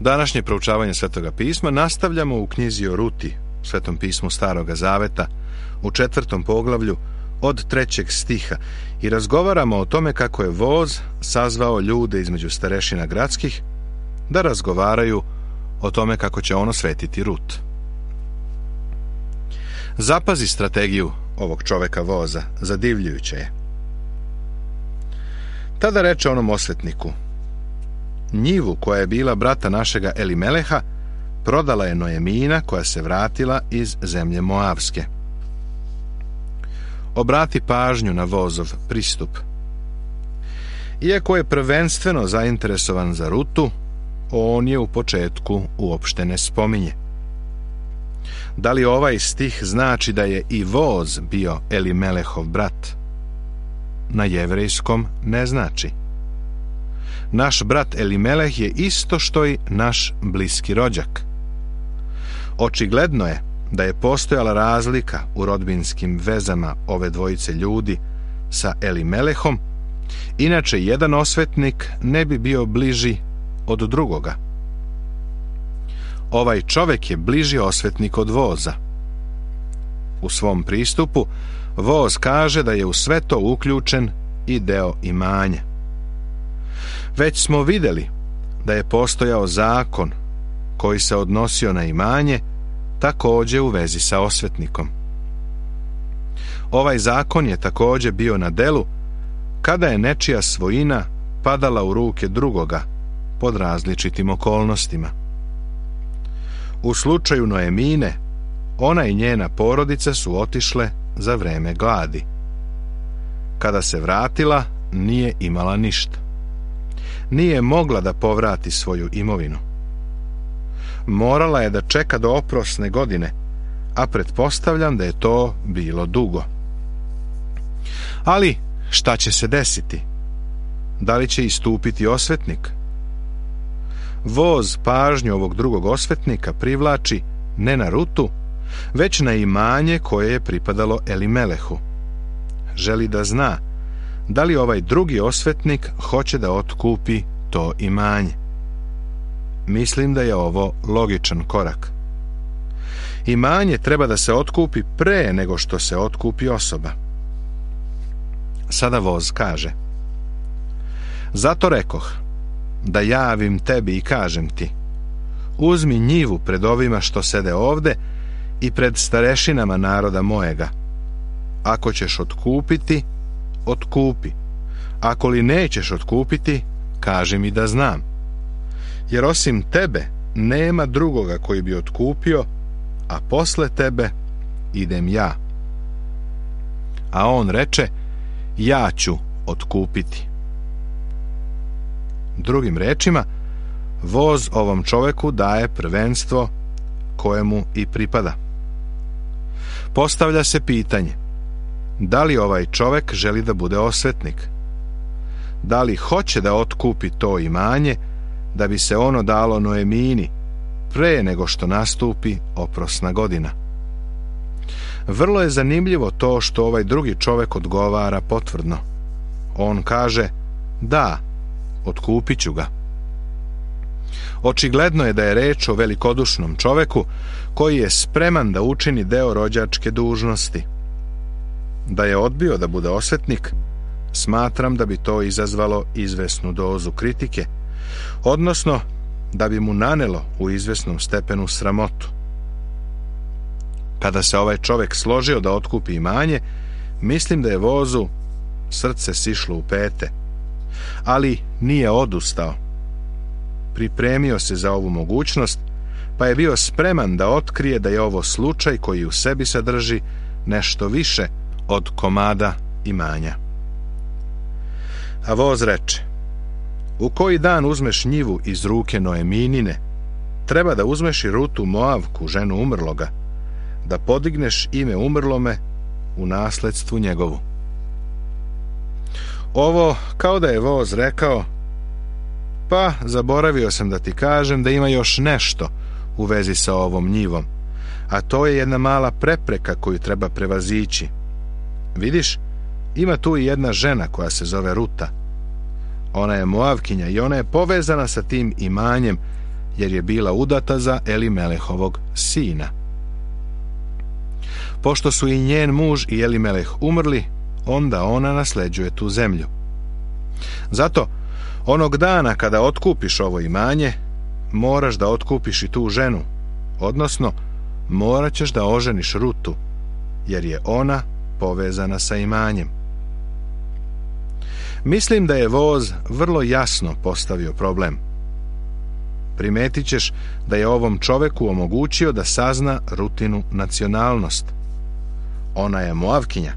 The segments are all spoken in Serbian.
Današnje proučavanje Svetoga pisma nastavljamo u knjizi o Ruti, Svetom pismu Staroga Zaveta, u 4. poglavlju od 3. stiha i razgovaramo o tome kako je voz sazvao ljude između starešina gradskih da razgovaraju o tome kako će on osvetiti Rut. Zapazi strategiju ovog čoveka voza, zadivljujuće je. Tada reče onom osvetniku: njivu koja je bila brata našega Elimeleha prodala je Noemina koja se vratila iz zemlje Moavske. Obrati pažnju na vozov pristup. Iako je prvenstveno zainteresovan za Rutu, on je u početku uopšte ne spominje. Da li ovaj stih znači da je i voz bio Elimelehov brat? Na jevrejskom ne znači. Naš brat Elimeleh je isto što i naš bliski rođak. Očigledno je da je postojala razlika u rodbinskim vezama ove dvojice ljudi sa Elimelehom, inače jedan osvetnik ne bi bio bliži od drugoga. Ovaj čovek je bliži osvetnik od voza. U svom pristupu voz kaže da je u sve to uključen i deo imanja. Već smo vidjeli da je postojao zakon koji se odnosio na imanje, također u vezi sa osvetnikom. Ovaj zakon je također bio na delu kada je nečija svojina padala u ruke drugoga pod različitim okolnostima. U slučaju Noemine, ona i njena porodica su otišle za vreme gladi. Kada se vratila, nije imala ništa. Nije mogla da povrati svoju imovinu. Morala je da čeka do oprosne godine, a pretpostavljam da je to bilo dugo. Ali šta će se desiti? Da li će istupiti osvetnik? Voz pažnju ovog drugog osvetnika privlači ne na Rutu, već na imanje koje je pripadalo Elimelehu. Želi da zna da li ovaj drugi osvetnik hoće da otkupi to imanje. Mislim da je ovo logičan korak. Imanje treba da se otkupi pre nego što se otkupi osoba. Sada voz kaže: zato rekoh da javim tebi i kažem ti: uzmi njivu pred ovima što sede ovde i pred starešinama naroda mojega. Ako ćeš otkupiti, otkupi. Ako li nećeš otkupiti, kaži mi da znam. Jer osim tebe nema drugoga koji bi otkupio, a posle tebe idem ja. A on reče: ja ću otkupiti. Drugim rečima, voz ovom čoveku daje prvenstvo kojemu i pripada. Postavlja se pitanje: da li ovaj čovek želi da bude osvetnik? Da li hoće da otkupi to imanje da bi se ono dalo Noemini pre nego što nastupi oprosna godina? Vrlo je zanimljivo to što ovaj drugi čovek odgovara potvrdno. On kaže: da, otkupit ću ga. Očigledno je da je reč o velikodušnom čoveku koji je spreman da učini deo rođačke dužnosti. Da je odbio da bude osvetnik, smatram da bi to izazvalo izvesnu dozu kritike, odnosno da bi mu nanelo u izvesnom stepenu sramotu. Kada se ovaj čovek složio da otkupi imanje, mislim da je vozu srce sišlo u pete, ali nije odustao. Pripremio se za ovu mogućnost, pa je bio spreman da otkrije da je ovo slučaj koji u sebi sadrži nešto više od komada imanja. A voz reče: u koji dan uzmeš njivu iz ruke Noeminine, treba da uzmeš i Rutu Moavku, ženu umrloga, da podigneš ime umrlome u nasledstvu njegovu. Ovo kao da je voz rekao: pa zaboravio sam da ti kažem da ima još nešto u vezi sa ovom njivom, a to je jedna mala prepreka koju treba prevazići. Vidiš, ima tu i jedna žena koja se zove Ruta. Ona je Moavkinja i ona je povezana sa tim imanjem, jer je bila udata za Elimelehovog sina. Pošto su i njen muž i Elimeleh umrli, onda ona nasleđuje tu zemlju. Zato, onog dana kada otkupiš ovo imanje, moraš da otkupiš i tu ženu, odnosno morat ćeš da oženiš Rutu, jer je ona povezana sa imanjem. Mislim da je voz vrlo jasno postavio problem. Primetit ćeš da je ovom čoveku omogućio da sazna Rutinu nacionalnost. Ona je Moavkinja.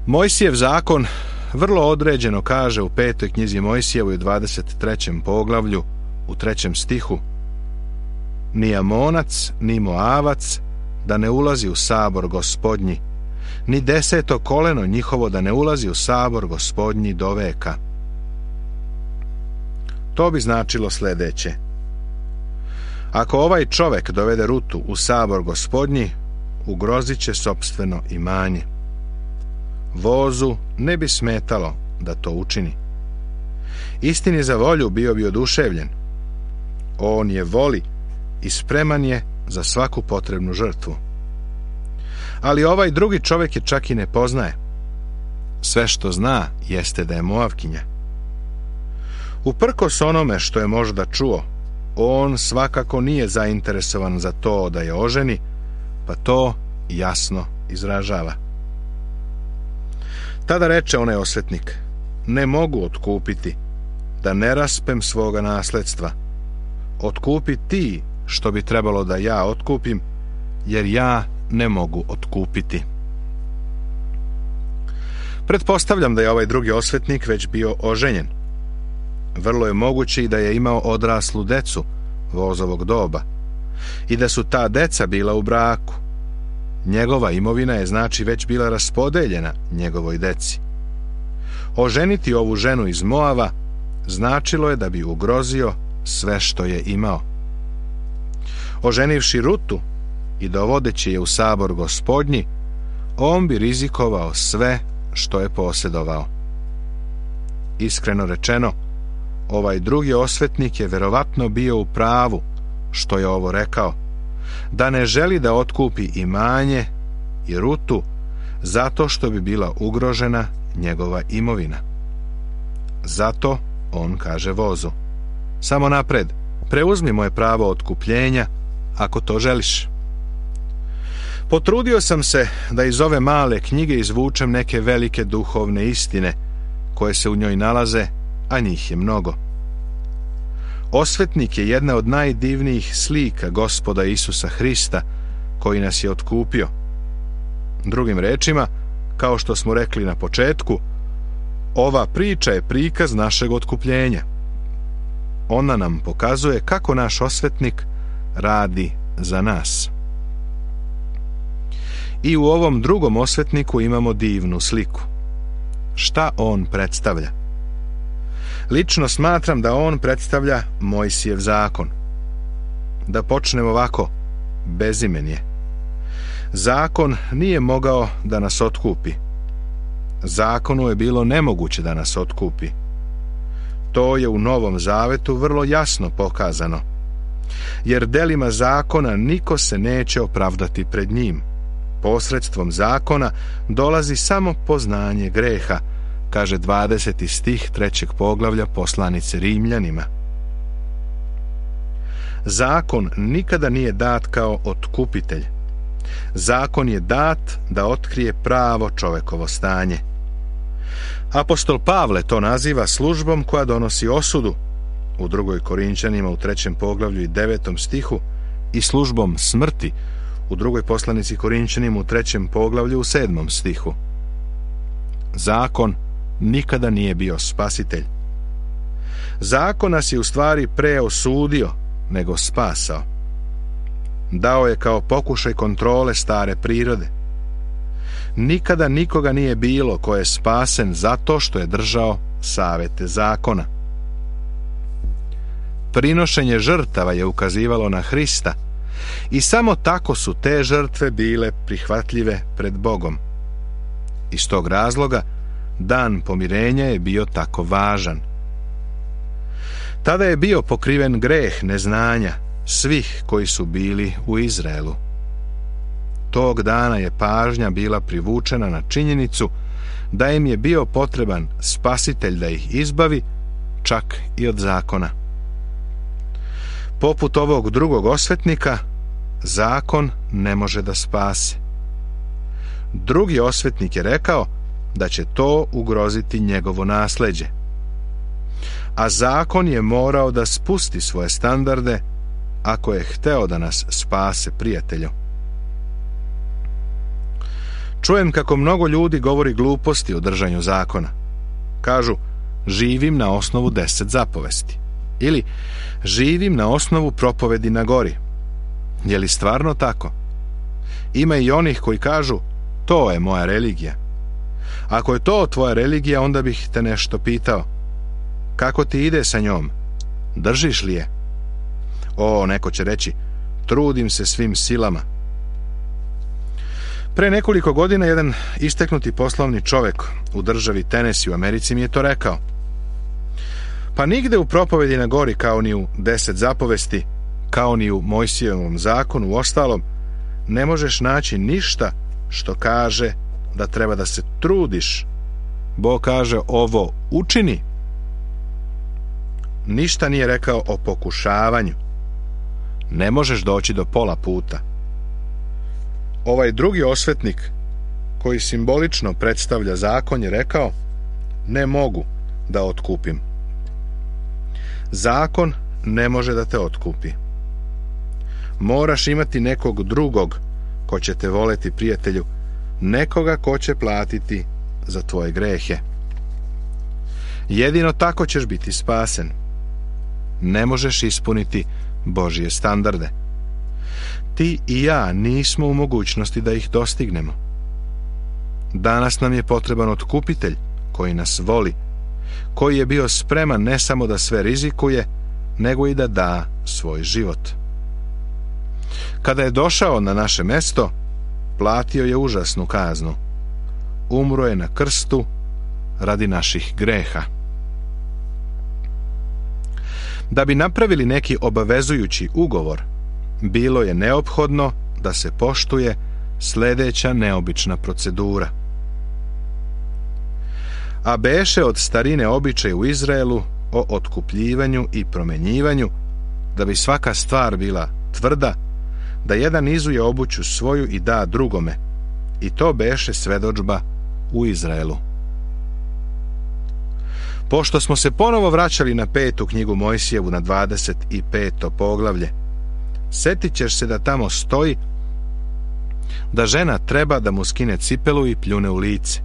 Mojsijev zakon vrlo određeno kaže u 5. knjizi Mojsijevoj 23. poglavlju u 3. stihu: ni Amonac, ni Moavac da ne ulazi u sabor Gospodnji, ni 10. koleno njihovo da ne ulazi u sabor Gospodnji do veka. To bi značilo sljedeće: ako ovaj čovek dovede Rutu u sabor Gospodnji, ugrozit će sopstveno imanje. Vozu ne bi smetalo da to učini. Istini za volju bio bi oduševljen. On je voli i spreman je za svaku potrebnu žrtvu. Ali ovaj drugi čovjek je čak i ne poznaje. Sve što zna jeste da je Moavkinja. Uprkos onome što je možda čuo, on svakako nije zainteresovan za to da je oženi, pa to jasno izražava. Tada reče onaj osvetnik: ne mogu otkupiti, da ne raspem svoga nasledstva. Otkupi ti što bi trebalo da ja otkupim, jer ja ne mogu otkupiti. Pretpostavljam da je ovaj drugi osvetnik već bio oženjen. Vrlo je moguće i da je imao odraslu decu vozovog doba i da su ta deca bila u braku. Njegova imovina je znači već bila raspodeljena njegovoj deci. Oženiti ovu ženu iz Moava značilo je da bi ugrozio sve što je imao. Oženivši Rutu i dovodeći je u sabor Gospodnji, on bi rizikovao sve što je posjedovao. Iskreno rečeno, ovaj drugi osvetnik je verovatno bio u pravu što je ovo rekao, da ne želi da otkupi imanje i Rutu zato što bi bila ugrožena njegova imovina. Zato on kaže vozu: samo napred, preuzmi moje pravo otkupljenja ako to želiš. Potrudio sam se da iz ove male knjige izvučem neke velike duhovne istine koje se u njoj nalaze, a njih je mnogo. Osvetnik je jedna od najdivnijih slika Gospoda Isusa Hrista, koji nas je otkupio. Drugim rečima, kao što smo rekli na početku, ova priča je prikaz našeg otkupljenja. Ona nam pokazuje kako naš osvetnik radi za nas. I u ovom drugom osvetniku imamo divnu sliku. Šta on predstavlja? Lično smatram da on predstavlja Mojsijev zakon. Da počnemo ovako, bezimen je. Zakon nije mogao da nas otkupi. Zakonu je bilo nemoguće da nas otkupi. To je u Novom Zavetu vrlo jasno pokazano. Jer delima zakona niko se neće opravdati pred njim. Posredstvom zakona dolazi samo poznanje greha, kaže 20. stih 3. poglavlja poslanice Rimljanima. Zakon nikada nije dat kao otkupitelj. Zakon je dat da otkrije pravo čovekovo stanje. Apostol Pavle to naziva službom koja donosi osudu u 2. Korinčanima u 3. poglavlju i 9. stihu i službom smrti u 2. poslanici Korinčanima u 3. poglavlju u 7. stihu. Zakon nikada nije bio spasitelj. Zakon nas je u stvari pre osudio nego spasao. Dao je kao pokušaj kontrole stare prirode. Nikada nikoga nije bilo ko je spasen zato što je držao savete zakona. Prinošenje žrtava je ukazivalo na Hrista i samo tako su te žrtve bile prihvatljive pred Bogom. Iz tog razloga dan pomirenja je bio tako važan. Tada je bio pokriven greh neznanja svih koji su bili u Izraelu. Tog dana je pažnja bila privučena na činjenicu da im je bio potreban spasitelj da ih izbavi, čak i od zakona. Poput ovog drugog osvetnika, zakon ne može da spase. Drugi osvetnik je rekao da će to ugroziti njegovo nasleđe. A zakon je morao da spusti svoje standarde ako je hteo da nas spase, prijatelju. Čujem kako mnogo ljudi govori gluposti o držanju zakona. Kažu, živim na osnovu 10 zapovesti. Ili, živim na osnovu propovedi na gori. Je li stvarno tako? Ima i onih koji kažu, to je moja religija. Ako je to tvoja religija, onda bih te nešto pitao. Kako ti ide sa njom? Držiš li je? O, neko će reći, trudim se svim silama. Pre nekoliko godina jedan isteknuti poslovni čovek u državi Tennessee u Americi mi je to rekao. Pa nigde u propovedi na gori, kao ni u 10 zapovesti, kao ni u Mojsijevom zakonu, u ostalom, ne možeš naći ništa što kaže da treba da se trudiš. Bog kaže ovo učini. Ništa nije rekao o pokušavanju. Ne možeš doći do pola puta. Ovaj drugi osvetnik, koji simbolično predstavlja zakon, je rekao, ne mogu da otkupim. Zakon ne može da te otkupi. Moraš imati nekog drugog ko će te voleti, prijatelju, nekoga ko će platiti za tvoje grehe. Jedino tako ćeš biti spasen. Ne možeš ispuniti Božje standarde. Ti i ja nismo u mogućnosti da ih dostignemo. Danas nam je potreban otkupitelj koji nas voli, koji je bio spreman ne samo da sve rizikuje, nego i da da svoj život. Kada je došao na naše mesto, platio je užasnu kaznu. Umro je na krstu radi naših greha. Da bi napravili neki obavezujući ugovor, bilo je neophodno da se poštuje sljedeća neobična procedura. A beše od starine običaj u Izraelu o otkupljivanju i promenjivanju, da bi svaka stvar bila tvrda, da jedan izuje obuću svoju i da drugome, i to beše svedodžba u Izraelu. Pošto smo se ponovo vraćali na 5. knjigu Mojsijevu, na 25. poglavlje, setit ćeš se da tamo stoji da žena treba da mu skine cipelu i pljune u lice.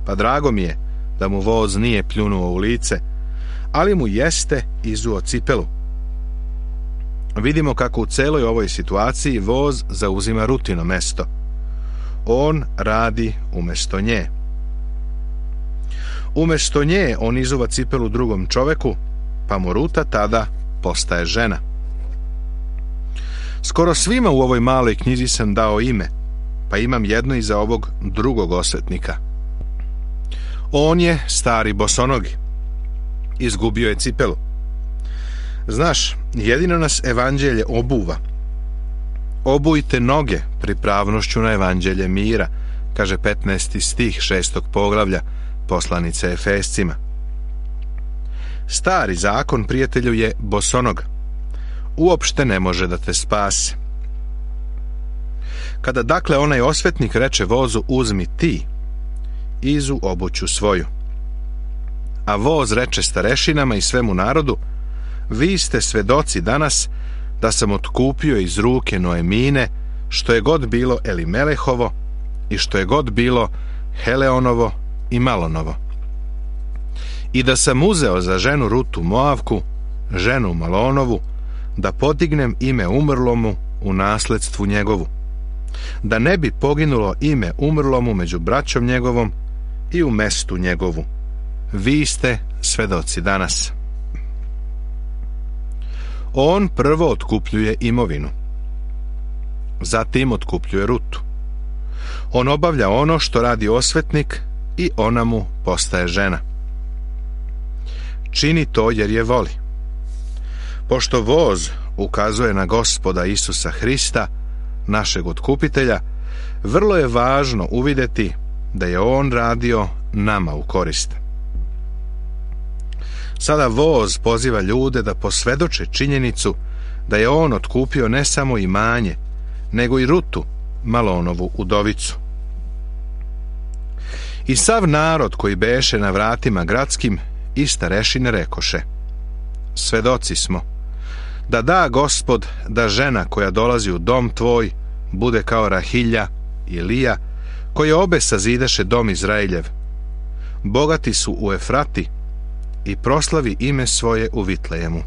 Pa drago mi je da mu voz nije pljunuo u lice, ali mu jeste izuo cipelu. Vidimo kako u celoj ovoj situaciji voz zauzima Rutino mesto. On radi umesto nje. Umesto nje on izuva cipelu drugom čoveku, pa mu Ruta tada postaje žena. Skoro svima u ovoj maloj knjizi sam dao ime, pa imam jedno i za ovog drugog osvetnika. On je stari bosonogi. Izgubio je cipelu. Znaš, jedino nas evanđelje obuva. Obujte noge pripravnošću na evanđelje mira, kaže 15. stih 6. poglavlja poslanice Efescima. Stari zakon, prijatelju, je bosonog. Uopšte ne može da te spase. Kada dakle onaj osvetnik reče vozu uzmi ti, izu obuću svoju. A voz reče starešinama i svemu narodu, vi ste svedoci danas da sam otkupio iz ruke Noemine što je god bilo Elimelehovo i što je god bilo Heleonovo i Malonovo. I da sam uzeo za ženu Rutu Moavku, ženu Malonovu, da podignem ime umrlomu u nasledstvu njegovu, da ne bi poginulo ime umrlomu među braćom njegovom i u mestu njegovu. Vi ste svedoci danas. On prvo otkupljuje imovinu. Zatim otkupljuje Rutu. On obavlja ono što radi osvetnik i ona mu postaje žena. Čini to jer je voli. Pošto voz ukazuje na Gospoda Isusa Hrista, našeg otkupitelja, vrlo je važno uvidjeti da je on radio nama u korist. Sada voz poziva ljude da posvjedoče činjenicu da je on otkupio ne samo imanje, nego i Rutu, Malonovu udovicu. I sav narod koji beše na vratima gradskim i starešine rekoše: svedoci smo da da Gospod da žena koja dolazi u dom tvoj bude kao Rahilja i Lija, koje obe sazidaše dom Izraeljev. Bogati su u Efrati i proslavi ime svoje u Vitlejemu.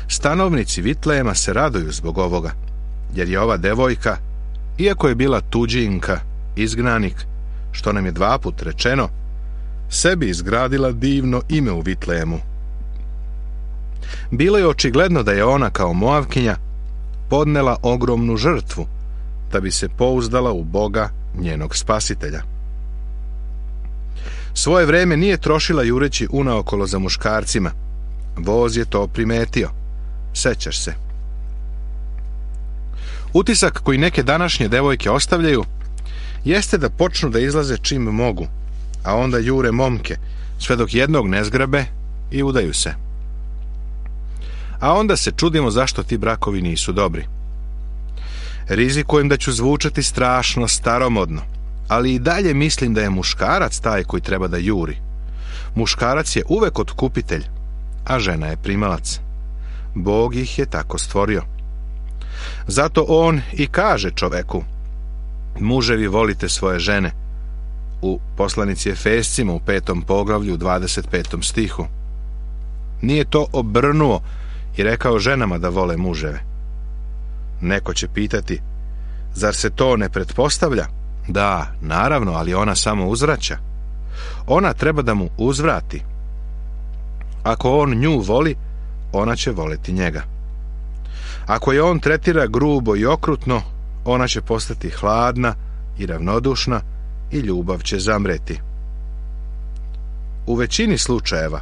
Stanovnici Vitlejema se raduju zbog ovoga, jer je ova devojka, iako je bila tuđinka, izgnanik, što nam je 2 puta rečeno, sebi izgradila divno ime u Vitlejemu. Bilo je očigledno da je ona kao Moavkinja podnela ogromnu žrtvu da bi se pouzdala u Boga njenog spasitelja. Svoje vreme nije trošila jureći unaokolo za muškarcima. Voz je to primetio. Sećaš se. Utisak koji neke današnje devojke ostavljaju jeste da počnu da izlaze čim mogu, a onda jure momke, sve dok jednog ne zgrabe i udaju se. A onda se čudimo zašto ti brakovi nisu dobri. Rizikujem da ću zvučati strašno staromodno, ali i dalje mislim da je muškarac taj koji treba da juri. Muškarac je uvek otkupitelj, a žena je primalac. Bog ih je tako stvorio. Zato on i kaže čoveku: muževi, volite svoje žene, u poslanici Efescima u 5. poglavlju 25. stihu. Nije to obrnuo i rekao ženama da vole muževe. Neko će pitati: zar se to ne pretpostavlja? Da, naravno, ali ona samo uzvraća. Ona treba da mu uzvrati. Ako on nju voli, ona će voleti njega. Ako je on tretira grubo i okrutno, ona će postati hladna i ravnodušna i ljubav će zamreti. U većini slučajeva,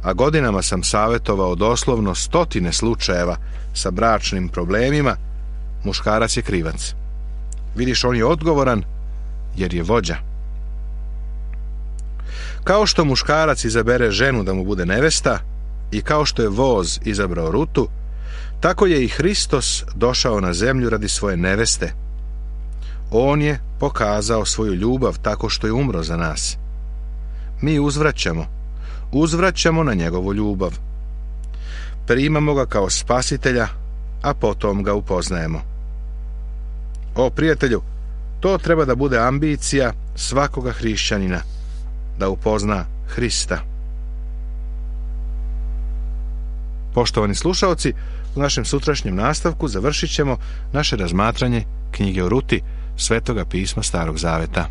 a godinama sam savjetovao doslovno 100 slučajeva sa bračnim problemima, muškarac je krivac. Vidiš, on je odgovoran jer je vođa. Kao što muškarac izabere ženu da mu bude nevesta i kao što je voz izabrao Rutu, tako je i Hristos došao na zemlju radi svoje neveste. On je pokazao svoju ljubav tako što je umro za nas. Mi uzvraćamo na njegovu ljubav. Primamo ga kao spasitelja, a potom ga upoznajemo. O prijatelju, to treba da bude ambicija svakoga hrišćanina, da upozna Hrista. Poštovani slušaoci, u našem sutrašnjem nastavku završit ćemo naše razmatranje knjige o Ruti, Svetoga pisma Starog Zaveta.